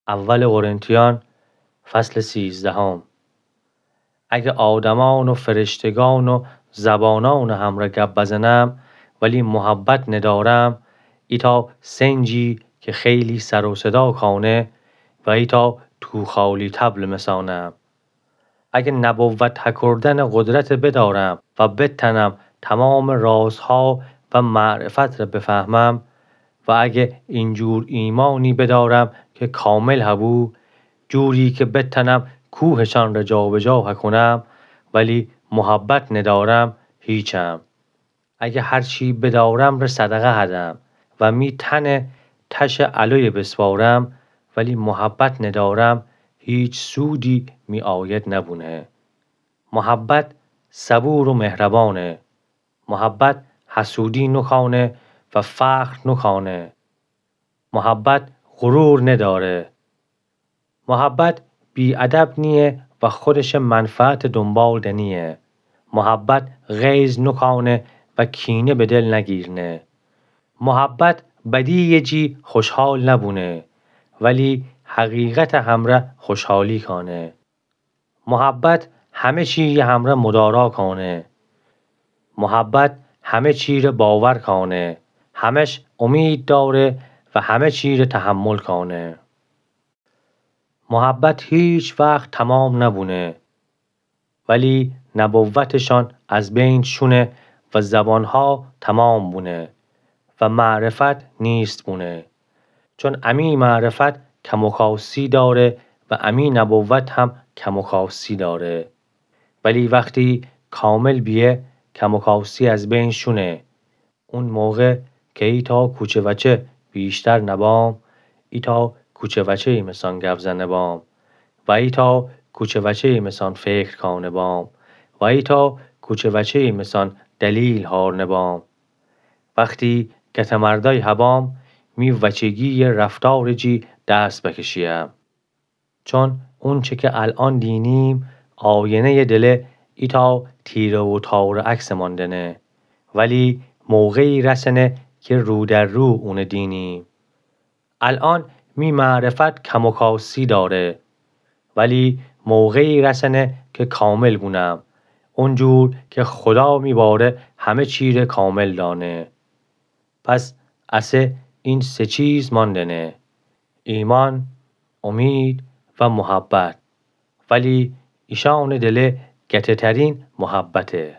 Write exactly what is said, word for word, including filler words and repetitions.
اول قرنتیان، فصل سیزدهم. اگه آدمان و فرشتگان و زبانان همره گب بزنم، ولی محبت ندارم، ایتأ سنجی که خیلی سر و صدا کانه و ایتأ توخالی طبل مسانم. اگه نبوت هکردن قدرت بدارم و بتنم تمام رازها و معرفت ره بفهمم، و اگه اینجور ایمانی بدارم که کامل هبو، جوری که بتنم کوهشان ره جابجا هکنم، ولی محبت ندارم، هیچم. اگه هرچی بدارم ره صدقه هدم و می تنه تشه الویه بسپارم، ولی محبت ندارم، هیچ سودی می آید نبونه. محبت صبور و مهربانه. محبت حسودی نکانه و فخر نکانه. محبت غرور نداره. محبت بی‌ادب نیه و خودشه منفعت دنبال دنیه. محبت غیظ نکانه و کینه به دل نگیرنه. محبت بدیی جی خوشحال نبونه، ولی حقیقت همره خوشحالی کانه. محبت همه چی همره مدارا کانه. محبت همه چی ره باور کانه، همش امید داره و همه چی ره تحمل کانه. محبت هیچ وقت تمام نبونه، ولی نبوتشان از بین شونه و زبانها تمام بونه و معرفت نیست بونه. چون امی معرفت کم و کاستی داره و امی نبوت هم کم و کاستی داره. ولی وقتی کامل بیه، کم و کاستی از بین شونه. اون موقع که ایتأ کوچه وچه ویشتر نبام، ایتأ کوچه وچه‌یی مثان گپ زنه بام و ایتأ کوچه وچه‌یی مثان فکر کانه بام و ایتأ کوچه وچه‌یی مثان دلیل هارنه بام. وختی گته‌مردأی هبام، می وچگی‌یه رفتار جی دست بکشییم. چون اونچه که الأن دینیم، آینه‌یه دله ایتأ تیره و تاره عکسمان دنه، ولی موقعی رسنه که رو در رو اونه دینیم. الأن می معرفت کم و کاستی داره، ولی موقعی رسنه که کامل بونم، اونجور که خدا می باره همه چی ره کامل دانه. پس اسه این سه چیز ماندنه: ایمان، امید و محبت. ولی ایشأنٚ دله گته‌ترین محبته.